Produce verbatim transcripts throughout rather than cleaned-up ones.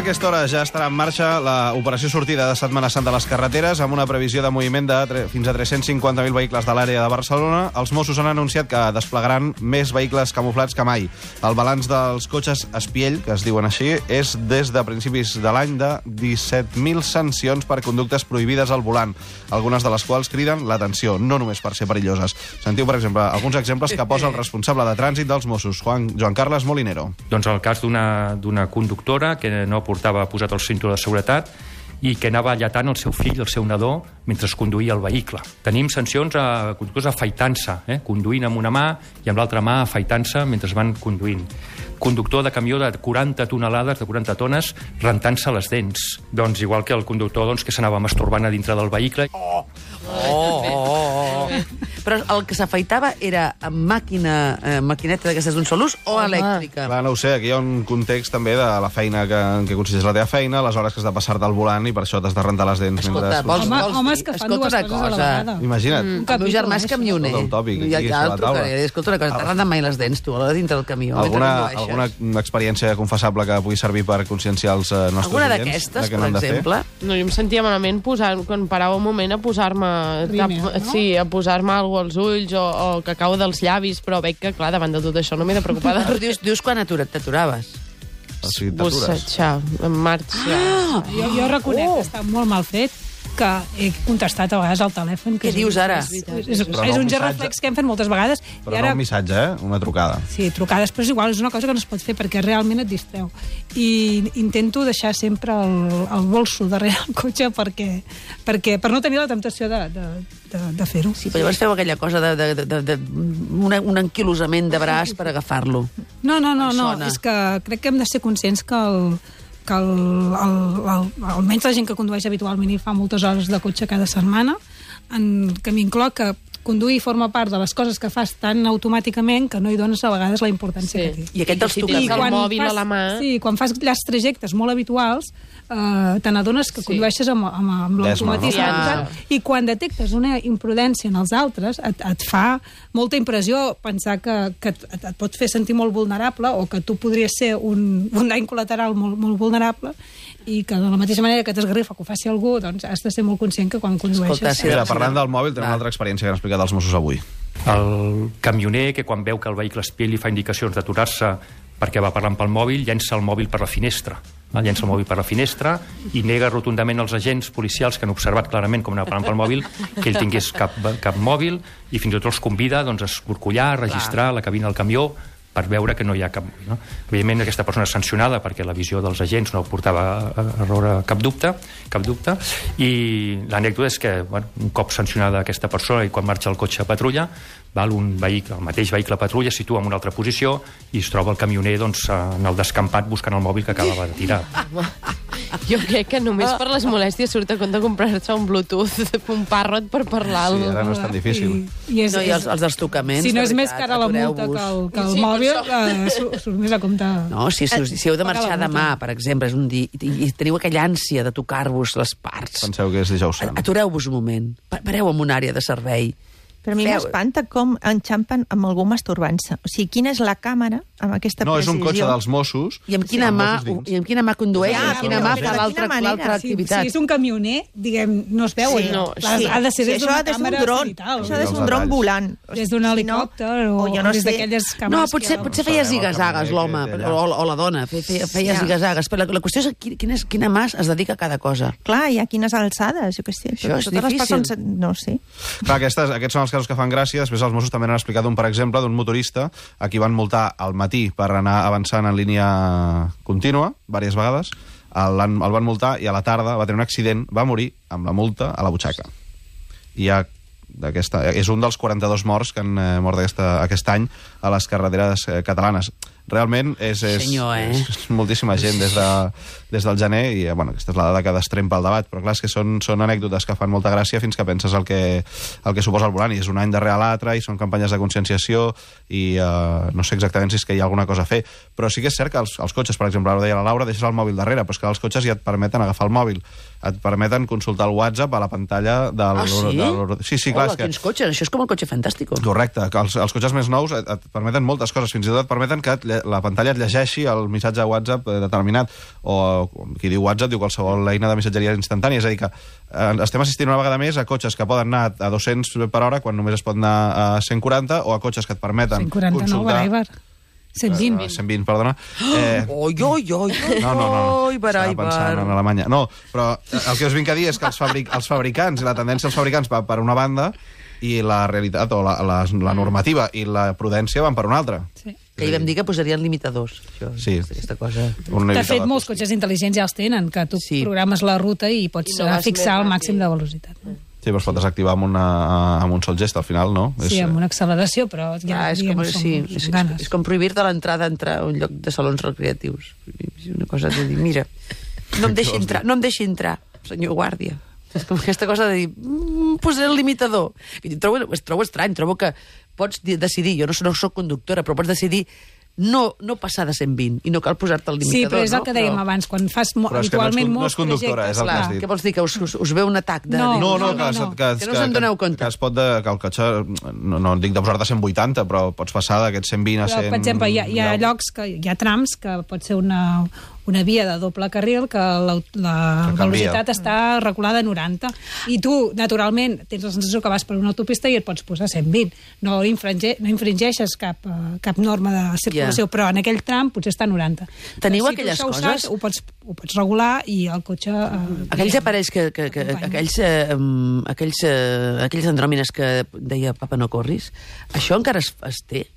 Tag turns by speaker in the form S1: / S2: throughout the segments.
S1: aquesta hora ja estarà en marxa l'operació sortida de Setmana Santa a les carreteres, amb una previsió de moviment de fins a tres-cents cinquanta mil vehicles de l'àrea de Barcelona. Els Mossos han anunciat que desplegaran més vehicles camuflats que mai. El balanç dels cotxes espiell, que es diuen així, és des de principis de l'any de disset mil sancions per conductes prohibides al volant, algunes de les quals criden l'atenció, no només per ser perilloses. Sentiu, per exemple, alguns exemples que posa el responsable de trànsit dels Mossos, Juan, Joan Carles Molinero.
S2: Doncs el cas d'una d'una conductora que no portava posat el cinturó de seguretat i que anava allatant el seu fill, el seu nadó, mentre es conduïa el vehicle. Tenim sancions a conductors afaitant-se, eh? conduint amb una mà i amb l'altra mà afaitant-se mentre van conduint. Conductor de camió de quaranta tonelades, de quaranta tones, rentant-se les dents. Doncs igual que el conductor doncs, que s'anava masturbant a dintre del vehicle.
S3: Oh! Oh, oh, oh. Però el que s'afaitava era amb màquina, eh, maquineta d'aquestes d'un sol ús o
S4: Home.
S3: elèctrica?
S1: Clar, no ho sé, aquí hi ha un context també de la feina que, en què consisteix la teva feina, les hores que has de passar-te al volant i per això t'has de rentar les dents.
S3: Escolta,
S1: mentre...
S3: vols,
S4: Home,
S3: vols
S4: homes
S3: dir?
S4: que fan
S3: Escolta
S4: dues
S3: una
S4: coses a la
S3: cosa.
S4: vegada.
S1: Imagina't.
S4: Mm.
S3: El meu germà és camioner.
S1: Tot el tòpic, aquí,
S3: ja, ja
S1: sobre
S3: el
S1: la taula.
S3: trucaré. Escolta una cosa, t'has rentat mai les dents, tu, a la dintre del camió.
S1: Alguna,
S3: mentre condueixes?
S1: alguna experiència confessable que pugui servir per conscienciar els eh, nostres
S3: Alguna
S1: oients?
S3: d'aquestes,
S1: de què
S3: per
S1: n'han de fer?
S3: exemple?
S5: No, jo em sentia malament posar, quan parava un moment a posar-me
S4: Rímel,
S5: tap-
S4: no?
S5: sí, a posar-me alguna cosa als ulls o, o cacau dels llavis, però veig que, clar, davant de tot això no m'he de preocupar de
S3: Però
S5: res.
S3: dius, dius quan atura, t'aturaves?
S1: O sigui, t'atures.
S5: Bussetxar, en marxa.
S3: Ah!
S4: Jo, jo reconec
S3: Oh.
S4: que està molt mal fet, que he contestat a vegades al telèfon. Que
S3: Què dius ara?
S4: És, és, és,
S1: Però no
S4: és
S1: un
S4: un
S1: missatge.
S4: reflex que hem fet moltes vegades.
S1: Però
S4: I ara,
S1: no un missatge, eh? Una trucada.
S4: sí, trucades, però és igual, és una cosa que no es pot fer perquè realment et distreu. I intento deixar sempre el, el bolso darrere el cotxe perquè, perquè, per no tenir la temptació de, de, de, de fer-ho.
S3: Sí, però llavors feu aquella cosa de, de, de, de, de un, un anquilosament de braç per agafar-lo.
S4: No, no, no, no,
S3: Persona.
S4: és que crec que hem de ser conscients que el, que el, el, el, almenys la gent que condueix habitualment i fa moltes hores de cotxe cada setmana, en, que m'incloc que conduir forma part de les coses que fas tan automàticament que no hi dones a vegades la importància
S5: Sí.
S4: que té.
S3: I aquest dels
S5: si
S3: tocadors.
S5: tens el mòbil
S4: fas,
S5: a la mà...
S4: Sí, quan fas llargs trajectes molt habituals, eh, te n'adones que
S5: Sí.
S4: condueixes amb, amb, amb
S1: D'esma,
S4: l'automatisme
S5: no?
S4: posat, i quan detectes una imprudència en els altres, et, et fa molta impressió pensar que, que et, et pot fer sentir molt vulnerable o que tu podries ser un, un dany col·lateral molt, molt vulnerable i que de la mateixa manera que t'esgarrifa que ho faci algú, doncs has de ser molt conscient que quan condueixes...
S3: Escolta, sí,
S1: Mira,
S3: sí,
S1: parlant
S3: sí.
S1: del mòbil, tenim
S3: Va.
S1: una altra experiència que han explicat els Mossos avui.
S2: El camioner que quan veu que el vehicle espiell li fa indicacions d'aturar-se perquè va parlant pel mòbil, llença el mòbil per la finestra. Va, llença el mòbil per la finestra i nega rotundament als agents policials que han observat clarament com anava parlant pel mòbil que ell tingués cap, cap mòbil i fins i tot els convida doncs, a escorcollar, a registrar la cabina del camió per veure que no hi ha cap... No? Evidentment, aquesta persona és sancionada perquè la visió dels agents no portava a error cap dubte, cap dubte, i l'anècdota és que, bueno, un cop sancionada aquesta persona i quan marxa el cotxe a patrulla, val, un vehicle, el mateix vehicle a patrulla es situa en una altra posició i es troba el camioner doncs, en el descampat buscant el mòbil que acabava de tirar.
S5: Jo crec que només per les molèsties surt a compte comprar-se un Bluetooth, un parrot per parlar.
S1: Sí, ara no és tan difícil.
S4: I, i és,
S3: No, i els, els dels tocaments,
S4: si no
S3: de
S4: és més
S3: veritat,
S4: cara la multa
S3: atureu-vos.
S4: que el, que el
S5: Sí,
S4: mòbil,
S5: per
S4: eh, surt, surt més a compte.
S3: No, si, si, si heu de marxar
S4: Paga la
S3: demà,
S4: multa.
S3: per exemple, és un dia, i, i teniu aquella ànsia de tocar-vos les parts,
S1: Penseu que és dijous sant.
S3: atureu-vos un moment, pa- pareu en una àrea de servei.
S6: Però a mi
S3: Feu-
S6: m'espanta com enxampen amb algú masturbant-se. O sigui, quina és la càmera amb aquesta
S1: No, és
S6: precisió?
S1: un cotxe dels Mossos.
S3: I amb quina,
S1: amb
S3: mà,
S1: Mossos dins.
S3: i amb quina mà condueix,
S6: Ja,
S3: i amb quina
S6: però-
S3: mà
S6: però
S3: fa
S6: de
S3: l'altra
S6: quina manera?
S3: l'altra
S4: Si,
S3: activitat.
S4: si és un camioner, diguem, no es veu.
S5: Sí,
S4: allò.
S5: no,
S4: Ha-
S6: Sí,
S4: ha de ser
S6: sí,
S4: des
S6: això
S4: d'una
S6: ha de ser un
S4: càmera
S6: dron.
S4: satelital.
S6: Això ha de ser
S1: Els
S6: un dron
S1: detalls.
S6: volant.
S4: Des d'un
S6: Si no-
S4: helicòpter o,
S6: o jo no
S4: des
S6: sé.
S4: d'aquelles càmeres...
S3: No,
S4: que
S3: potser,
S4: hi ha.
S3: potser
S1: No
S3: feia
S1: sabeu, el
S3: zigazagues
S1: camioner
S3: l'home,
S1: que té
S3: o,
S1: allà.
S3: o la dona, feia, feia, feia
S6: Ja.
S3: zigazagues. Però la, la qüestió és qui- quina, és- quina mà es dedica a cada cosa.
S6: Clar, hi ha quines alçades, jo què sé.
S3: Això és
S6: Totes les
S3: difícil.
S6: persones... No sé.
S1: Clar, aquestes, aquests són els casos que fan gràcia. Després els Mossos també n'han explicat un, per exemple, d'un motorista a qui van multar al matí per anar avançant en línia contínua, diverses vegades. El, el van multar i a la tarda va tenir un accident, va morir amb la multa a la butxaca. I hi ha d'aquesta, és un dels quaranta-dos morts que han eh, mort aquesta, aquest any a les carreteres eh, catalanes. Realment és, és,
S3: Senyor, eh?
S1: és moltíssima gent des, de, des del gener i eh, bueno, aquesta és la dada que destrempa el debat, però clar, és que són, són anècdotes que fan molta gràcia fins que penses el que, el que suposa el volant, i és un any darrere l'altre i són campanyes de conscienciació i eh, no sé exactament si és que hi ha alguna cosa a fer, però sí que és cert que els, els cotxes, per exemple, ara ho deia la Laura, deixes el mòbil darrere, però és que els cotxes ja et permeten agafar el mòbil, et permeten consultar el WhatsApp a la pantalla del...
S3: Ah, sí?
S1: del sí, sí, clar,
S3: Hola,
S1: és que...
S3: quins cotxes? Això és com el cotxe fantàstico.
S1: Correcte, que els, els cotxes més nous et, et permeten moltes coses, fins i tot et permeten que et, la pantalla et llegeixi el missatge de WhatsApp determinat, o qui diu WhatsApp diu qualsevol eina de missatgeria instantània, és a dir que eh, estem assistint una vegada més a cotxes que poden anar a dos-cents per hora quan només es pot anar a cent quaranta, o a cotxes que et permeten
S4: cent quaranta
S1: consultar...
S4: no, cent vint.
S1: Uh, cent vint, perdona. Eh,
S3: Oi, oi, oi, oi,
S1: no, no, no, no.
S3: oi, barai,
S1: Estava pensant en Alemanya. No, però el que us vinc a dir és que els, fabric, els fabricants i la tendència dels fabricants va per una banda i la realitat, o la, la, la normativa i la prudència van per una altra.
S4: Sí.
S3: Que hi vam dir que posarien limitadors. Això,
S1: Sí.
S3: Aquesta cosa.
S1: Un
S4: De fet,
S1: limitador.
S4: molts cotxes intel·ligents ja els tenen, que tu
S3: Sí.
S4: programes la ruta i pots
S5: I no
S4: eh,
S5: vas
S4: fixar
S5: més
S4: el màxim
S5: ràpid.
S4: de velocitat. No?
S1: Sí, però es pot desactivar amb, una, amb un sol gest, al final, no?
S4: Sí, amb una acceleració, però ja
S3: Ah, és, com,
S4: diguem,
S3: sí,
S4: són
S3: és,
S4: ganes.
S3: és com prohibir-te l'entrada a entrar a un lloc de salons recreatius. És una cosa de dir, mira, no em deixi entrar, no em deixi entrar, senyor guàrdia. És com aquesta cosa de dir, mm, posaré el limitador. I trobo, es trobo estrany, trobo que pots di- decidir, jo no, no soc conductora, però pots decidir no, no passar de cent vint i no cal posar-te el limitador.
S4: Sí, però és el
S3: no?
S4: que dèiem
S3: Però-
S4: abans, quan fas mo-
S1: Però és que no és
S4: habitualment
S1: con- no
S4: molts
S1: és conductora,
S4: projectes...
S1: és el que
S3: Clar,
S1: has dit.
S3: què vols dir? Que us, us, us ve un atac de...
S4: No,
S3: de-
S1: No, no,
S4: no,
S1: que,
S4: no,
S1: es-
S4: no.
S1: que,
S3: Que no us en doneu compte.
S1: Que es pot, de, que el cotxe, no, no dic de posar-te cent vuitanta, però pots passar d'aquests cent vint a
S4: Però,
S1: cent...
S4: per exemple, hi ha, hi ha
S1: deu.
S4: llocs, que hi ha trams que pot ser una, una via de doble carril que la, la
S1: Que canvia.
S4: velocitat està regulada a noranta. I tu, naturalment, tens la sensació que vas per una autopista i et pots posar cent vint. No, infringe, no infringeixes cap, eh, cap norma de circulació,
S3: Ja.
S4: però en aquell tram potser està a noranta.
S3: Teniu
S4: Però si
S3: aquelles
S4: tu això ho
S3: coses?
S4: Saps, ho, pots, ho pots regular i el cotxe... Eh,
S3: Aquells aparells que... que, que
S4: Acompanya.
S3: aquells, eh, um, aquells, eh, aquells andròmines que deia Papa no corris, això encara es, es té?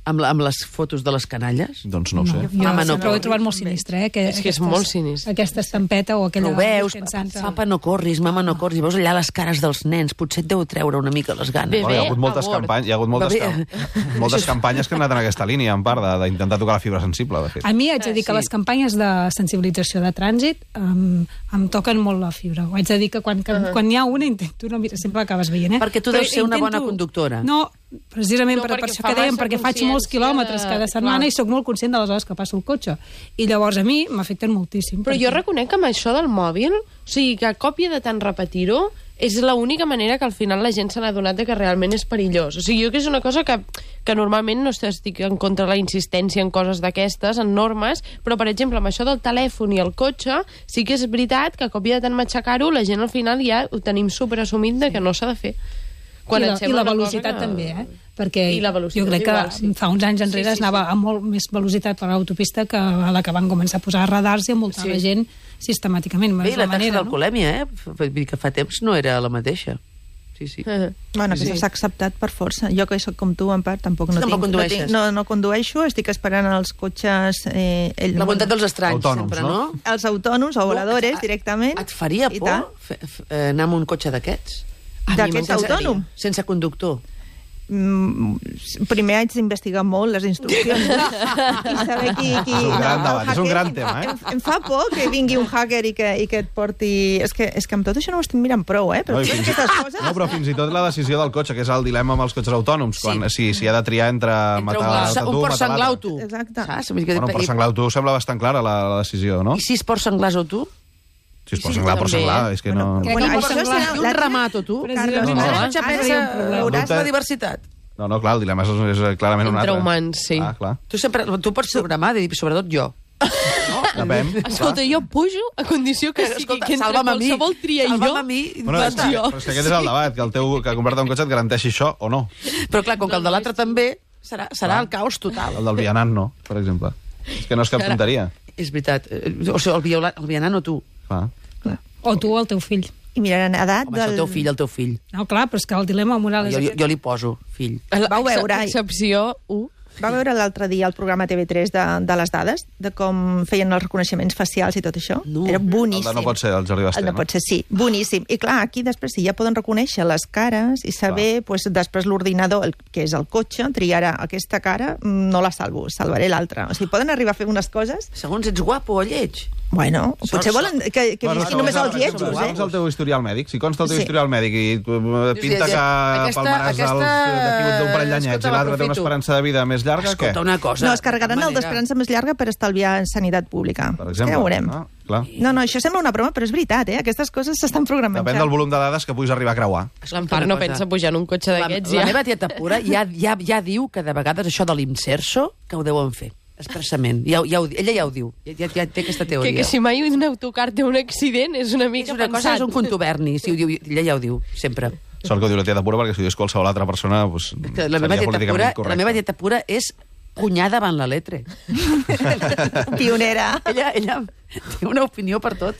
S3: Amb, la, amb les fotos de les canalles?
S1: Doncs no ho sé.
S4: Jo
S3: Mama, no
S4: sempre ho he
S3: corris,
S4: trobat molt sinistre, eh? Que
S5: És que és
S4: aquestes-
S5: molt sinistre.
S4: Aquesta estampeta o aquella...
S3: Però ho veus,
S4: Virgen Santa.
S3: papa no corris, mama no corris, veus allà les cares dels nens, potser et deu treure una mica les ganes.
S5: Bé,
S1: Bueno, hi ha hagut moltes,
S5: abort.
S1: campanyes, hi ha hagut moltes,
S3: Bebè.
S1: cam moltes campanyes que han anat en aquesta línia, en part, de- d'intentar tocar la fibra sensible, de fet.
S4: A mi haig de dir que
S3: sí.
S4: les campanyes de sensibilització de trànsit um, em toquen molt la fibra. Ho haig de dir que quan, que, uh -huh. quan hi ha una intento, no, mira, sempre acabes veient, eh?
S3: Perquè tu
S4: Però
S3: deus ser una bona
S4: intento-
S3: conductora.
S4: No, precisament
S5: No,
S4: per, per
S5: perquè
S4: això
S5: fa
S4: que dèiem,
S5: massa
S4: perquè faig molts
S5: consciència
S4: quilòmetres
S5: de-
S4: cada setmana
S5: clar.
S4: i sóc molt conscient de les hores que passo el cotxe. I llavors a mi m'afecten moltíssim.
S5: Però
S4: perquè-
S5: jo reconec que amb això del mòbil, o sigui, que a còpia de tant repetir-ho, és l'única manera que al final la gent se n'ha adonat de que realment és perillós. O sigui, jo que és una cosa que, que normalment no estic en contra de la insistència en coses d'aquestes, en normes, però, per exemple, amb això del telèfon i el cotxe, sí que és veritat que a còpia de tant matxacar-ho, la gent al final ja ho tenim superassumit de que no s'ha de fer.
S4: I la,
S5: ens
S4: i
S5: sembla
S4: la
S5: una
S4: velocitat
S5: cosa que-
S4: també, eh? Perquè
S5: I la velocitat
S4: jo crec que
S5: igual, sí.
S4: fa uns anys enrere
S5: Sí, sí,
S4: es anava
S5: sí.
S4: a molt més velocitat per l'autopista que a la que van començar a posar radars i a multar
S5: Sí.
S4: la gent sistemàticament.
S3: Bé,
S4: És
S3: i la
S4: la
S3: taxa
S4: manera, no?
S3: d'alcoholèmia, eh? Vull dir que fa temps no era la mateixa. Sí, sí.
S5: Uh-huh.
S6: Bueno, que
S5: Sí.
S6: s'ha acceptat per força. Jo que sóc com tu, en part, tampoc no
S3: Tampoc
S6: tinc... No,
S3: condueixes.
S6: tinc no, no condueixo, estic esperant els cotxes... Eh, ell,
S3: La bondat dels estranys,
S1: Autònoms,
S3: sempre,
S1: no?
S3: no?
S6: Els autònoms o voladores,
S3: et-
S6: directament.
S3: Et faria
S6: I
S3: por
S6: tant.
S3: fe, fe, eh, anar amb un cotxe d'aquests?
S5: A mi
S6: D'aquest
S5: m'encantaria.
S6: autònom?
S3: Sense conductor.
S6: Mm, primer haig d'investigar molt les instruccions i saber qui... qui
S1: És un gran
S6: el
S1: debat, és un
S6: hacker.
S1: gran tema, eh?
S6: Em, em fa por que vingui un hacker i que, i que et porti... És que, és que amb tot això no ho estic mirant prou, eh? Però
S1: No, i
S6: totes
S1: fins,
S6: aquestes coses...
S1: no, però fins i tot la decisió del cotxe, que és el dilema amb els cotxes autònoms, quan, si, si ha de triar entre,
S3: Entre
S1: matar
S3: un,
S1: l'altre
S3: un
S1: tu,
S3: port
S1: matar
S3: senglar o
S1: l'altre.
S3: tu.
S6: Exacte.
S3: Saps? Vull dir que-
S1: Bueno, per senglar tu sembla bastant clara la, la decisió, no?
S3: I si es port senglars o tu?
S1: Si es
S3: sí,
S1: pot senglar, per
S5: també,
S1: senglar,
S5: eh?
S1: és que no...
S4: Crec
S6: Bueno,
S4: que el
S6: això
S4: port senglar-
S6: serà
S3: I un ramat o tu?
S4: Precisament,
S1: No, no.
S3: El
S1: Ah,
S3: cotxe
S4: ara hi ha
S3: pensa,
S4: un problema.
S3: veuràs
S1: Dubte-
S3: la diversitat.
S1: No, no, clar, el dilema és, és clarament un
S5: Entre
S1: altre.
S5: humans, sí.
S1: Ah, clar.
S3: Tu sempre, tu pots programar, de dir, sobretot jo.
S1: Depèn.
S5: Escolta, jo pujo a condició que sigui
S3: Escolta,
S5: que entre
S3: salva'm a mi.
S5: qualsevol tria i jo...
S3: Salva'm a mi.
S1: Bueno, és,
S3: doncs
S1: que,
S3: jo.
S1: però és que aquest és el debat, que el teu que comprar-te un cotxe et garanteixi això o no.
S3: Però clar, com que el de l'altre també, serà, serà el caos total.
S1: El del vianant no, per exemple. És que no és cap tonteria.
S3: És veritat. Eh, O sigui, el, viola, el vianant o tu?
S1: Clar.
S4: O tu o el teu fill.
S6: I mira, en edat
S3: Home, del... el teu fill, el teu fill.
S4: No, clar, però és que el dilema moral és
S3: Jo, jo,
S4: aquest.
S3: jo li poso, fill.
S6: Vau veure...
S5: Excepció u.
S6: Va veure l'altre dia el programa T V tres de, de les dades, de com feien els reconeixements facials i tot això?
S3: No.
S6: Era
S1: El
S6: boníssim.
S1: de no pot ser, el Jordi Basté,
S6: El no pot ser, sí, boníssim. I clar, aquí després sí, ja poden reconèixer les cares i saber, pues, després l'ordinador, el, que és el cotxe, triarà aquesta cara, mm, no la salvo, salvaré l'altra. O sigui, poden arribar a fer unes coses...
S3: Segons ets guapo o lleig.
S6: Bueno, potser
S3: Sort,
S6: volen que, que
S1: Bueno,
S6: visquin
S1: no,
S6: només
S1: no,
S6: els lletjos,
S1: no,
S6: eh?
S1: és el teu historial mèdic. Si consta el teu
S6: Sí.
S1: historial mèdic i eh, pinta
S3: Sí,
S1: que
S3: aquesta-
S1: palmaràs
S3: aquesta-
S1: els d'aquí d'un parell d'anyets
S3: escolta,
S1: i l'altre té una
S3: l'aprofito.
S1: esperança de vida més llarga,
S3: Escolta,
S1: què?
S3: una cosa.
S6: No, es carregaran
S3: de
S6: el d'esperança més llarga per estalviar en sanitat pública.
S1: Per
S6: És
S1: exemple.
S6: que ja ho veurem.
S1: No? Clar.
S6: No, no, això sembla una broma, però és veritat, eh? Aquestes coses s'estan programant.
S1: Depèn
S6: ja.
S1: del volum de dades que puguis arribar a creuar.
S5: L'Empar no pensa pujar en un cotxe
S3: La,
S5: d'aquests
S3: la
S5: ja.
S3: meva tieta pura ja, ja, ja diu que de vegades això de l'inserso que ho deuen fer. expressament. Ja, ja ho, ella ja ho diu. Ja, ja té aquesta teoria.
S5: Que, que si mai un autocar té un accident és una mica
S3: és una cosa,
S5: pensat.
S3: és un contuberni. Si ho diu, ella ja ho diu, sempre.
S1: Sort que ho diu la tieta pura, perquè si ho dius qualsevol altra persona, doncs,
S3: Que la, meva
S1: seria
S3: tieta
S1: políticament
S3: pura, la meva
S1: incorrecte.
S3: tieta pura és cunyada davant la letre.
S6: Pionera.
S3: Ella, ella té una opinió per tot.